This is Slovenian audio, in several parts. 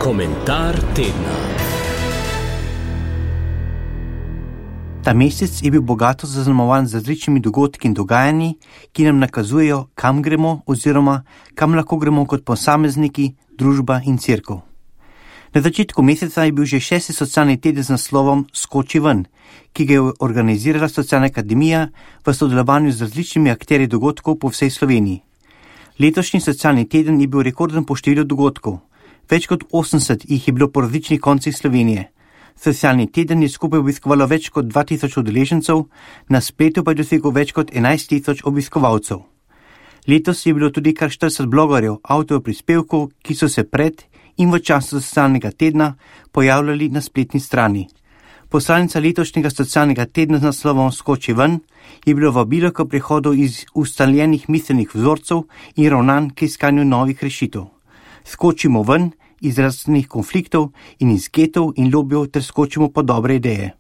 Komentar tedna. Ta mesec je bil bogato zaznamovan z različnimi dogodki in dogajanji, ki nam nakazujejo, kam gremo oziroma kam lahko gremo kot posamezniki, družba in cerkev. Na začetku meseca je bil že 6. socialni teden z naslovom Skoči ven, ki ga je organizirala Socialna akademija v sodelovanju z različnimi akterji dogodkov po vsej Sloveniji. Letošnji socialni teden je bil rekorden po številu dogodkov. Več kot 80 jih je bilo po različnih koncih Slovenije. Socialni teden je skupaj obiskovalo več kot 2000 udeležencev, na spletu pa je dosegel več kot 11 000 obiskovalcev. Letos je bilo tudi kar 40 blogerjev, avtorjev prispevkov, ki so se pred in v času socialnega tedna pojavljali na spletni strani. Poslanica letošnjega socialnega tedna z naslovom Skoči ven je bilo vabilo k prehodu iz ustaljenih miselnih vzorcev in ravnanj k iskanju novih rešitev. Skočimo ven iz različnih konfliktov in iz getov in lobijev ter skočimo po dobre ideje.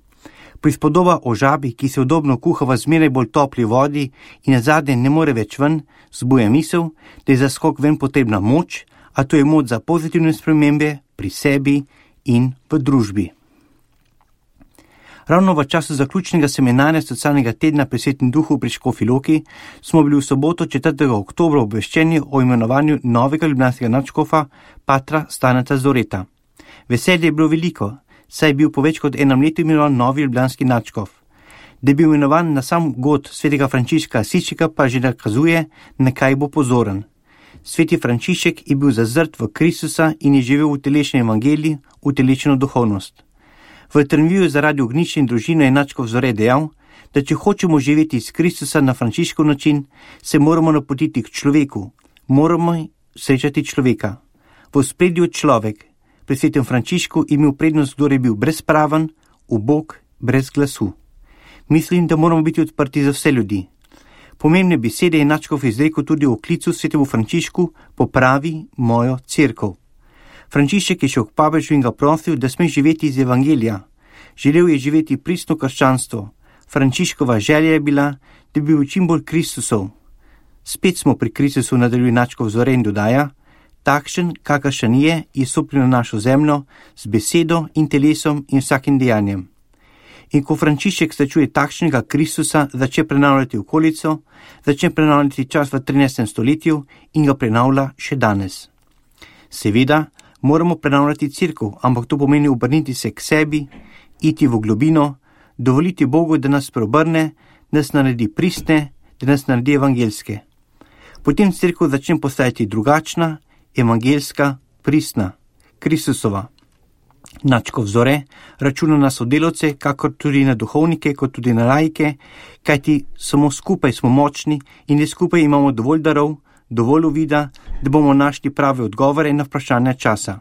Prispodoba o žabi, ki se udobno kuha v zmeraj bolj topli vodi in nazadnje ne more več ven, zbuja misel, da je za skok ven potrebna moč, a to je moč za pozitivne spremembe pri sebi in v družbi. Ravno v času zaključnega seminarja socialnega tedna pri Svetem duhu pri Škofji Loki smo bili v soboto 4. oktobra obveščeni o imenovanju novega ljubljanskega nadškofa patra Staneta Zoreta. Veselje je bilo veliko, saj je bil po več kot enem letu imenovan novi ljubljanski nadškof. Da je bil imenovan na sam god svetega Frančiška Asiškega pa že nakazuje, na kaj bo pozoren. Sveti Frančišek je bil zazrt v Kristusa in je živel v utelešeni evangeliji, utelešeno duhovnost. V intervjuju za Radio Ognjišče in družino je nadškof Zore dejal, da če hočemo živeti iz Kristusa na Frančiškov način, se moramo napotiti k človeku, moramo srečati človeka. V ospredju človek, pri svetem Frančišku je imel prednost, kdor je bil brezpraven, ubog, brez glasu. Mislim, da moramo biti odprti za vse ljudi. Pomembne besede je nadškof izrekel tudi o klicu svetemu Frančišku popravi mojo cerkev. Frančišek je šel k papežu in ga prosil, da sme živeti iz evangelija. Želel je živeti pristno krščanstvo. Frančiškova želja je bila, da bi bil čim bolj Kristusov. Spet smo pri Kristusu, nadaljuje nadškof Zore in dodaja, takšen, kakršen je stopil na našo zemljo z besedo in telesom in vsakim dejanjem. In ko Frančišek srečuje takšnega Kristusa, začne prenavljati okolico, začne prenavljati čas v 13. stoletju in ga prenavlja še danes. Seveda, moramo prenavljati cerkev, ampak to pomeni obrniti se k sebi, iti v globino, dovoliti Bogu, da nas preobrne, da nas naredi pristne, da nas naredi evangelske. Potem cerkev začne postajati drugačna, evangelska, pristna, Kristusova. Nadškof Zore računa na sodelavce, kakor tudi na duhovnike, kot tudi na laike, kajti samo skupaj smo močni in le skupaj imamo dovolj darov, dovolj uvida, da bomo našli prave odgovore na vprašanja časa.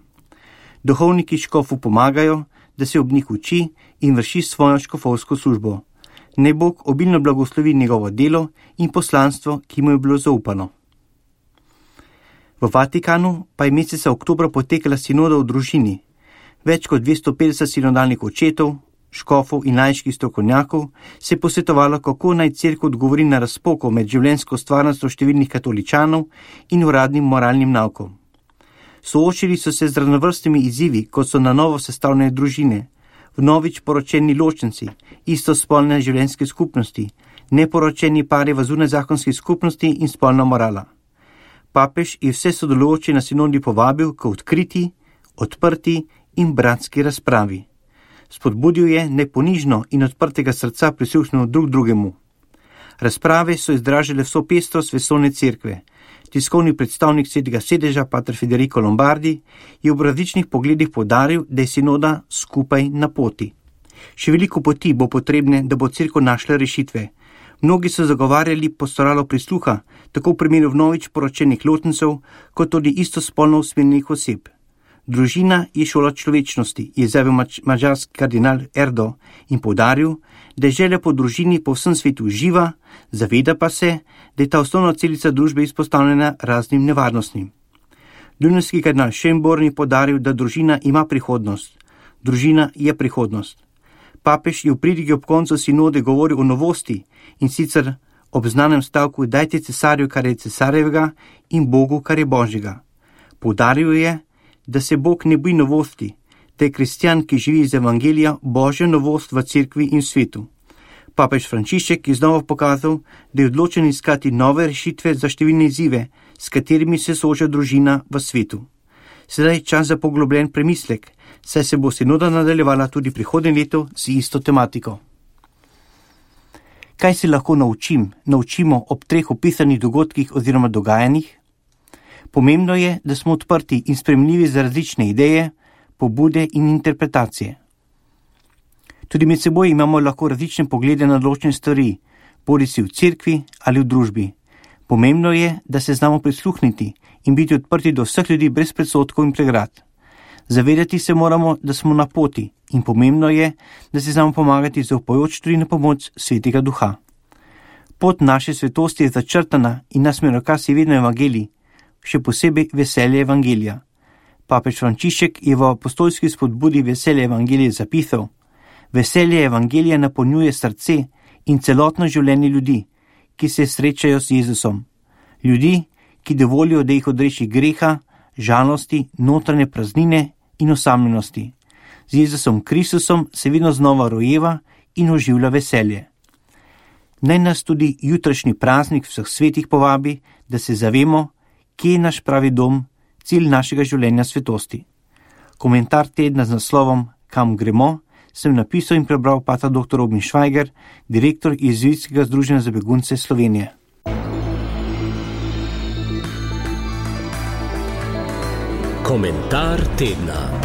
Duhovniki škofu pomagajo, da se ob njih uči in vrši svojo škofovsko službo. Naj Bog obilno blagoslovi njegovo delo in poslanstvo, ki mu je bilo zaupano. V Vatikanu pa je meseca oktobra potekala sinoda o družini. Več kot 250 sinodalnih očetov, škofov in laiških strokovnjakov se je posvetovalo, kako naj cerkev odgovori na razpoko med življenjsko stvarnostjo številnih katoličanov in uradnim moralnim naukom. Soočili so se z raznovrstnimi izzivi, kot so na novo sestavljene družine, vnovič poročeni ločenci, istospolne življenjske skupnosti, neporočeni pari v zunajzakonski skupnosti in spolna morala. Papež je vse sodelujoče na sinodi povabil k odkriti, odprti in bratski razpravi. Spodbudil je neponižno in odprtega srca prisluhnilo drug drugemu. Razprave so izražale vso pestrost vesoljne cerkve. Tiskovni predstavnik svetega sedeža, pater Federico Lombardi, je ob različnih pogledih poudaril, da je sinoda skupaj na poti. Še veliko poti bo potrebne, da bo cerkev našla rešitve. Mnogi so zagovarjali pastoralo prisluha, tako v primeru vnovič poročenih ločencev, kot tudi istospolno usmerjenih oseb. Družina je šola človečnosti, je izjavil madžarski kardinal Erdo in poudaril, da je želja po družini po vsem svetu živa, zaveda pa se, da je ta osnovna celica družbe izpostavljena raznim nevarnostim. Dunajski kardinal Schönborn je poudaril, da družina ima prihodnost. Družina je prihodnost. Papež je v pridigi ob koncu sinode govoril o novosti in sicer ob znanem stavku dajte cesarju, kar je cesarjevega in Bogu, kar je Božjega. Poudaril je, da se Bog ne boji novosti, da je kristjan, ki živi iz evangelija, božja novost v cerkvi in svetu. Papež Frančišek je znova pokazal, da je odločen iskati nove rešitve za številne izzive, s katerimi se sooča družina v svetu. Sedaj je čas za poglobljen premislek, saj se bo sinoda nadaljevala tudi prihodnje leto z isto tematiko. Kaj se lahko naučimo ob 3 opisanih dogodkih oziroma dogajanjih? Pomembno je, da smo odprti in sprejemljivi za različne ideje, pobude in interpretacije. Tudi med seboj imamo lahko različne poglede na določene stvari, bodisi v cerkvi ali v družbi. Pomembno je, da se znamo prisluhniti in biti odprti do vseh ljudi brez predsodkov in pregrad. Zavedati se moramo, da smo na poti in pomembno je, da se znamo pomagati zaupajoč tudi na pomoč Svetega Duha. Pot naše svetosti je začrtana in nas smerokaz je vedno evangelij, še posebej veselje evangelija. Papež Frančišek je v apostolski spodbudi veselje evangelije zapisal: veselje evangelija napolnjuje srce in celotno življenje ljudi, ki se srečajo z Jezusom. Ljudi, ki dovolijo, da jih odreši greha, žalosti, notranje praznine in osamljenosti. Z Jezusom Kristusom se vedno znova rojeva in oživlja veselje. Naj nas tudi jutrašnji praznik vseh svetih povabi, da se zavemo, kje je naš pravi dom, cilj našega življenja svetosti. Komentar tedna z naslovom Kam gremo sem napisal in prebral pater dr. Robin Švajger, direktor Jezuitskega združenja za begunce Slovenije. Komentar tedna.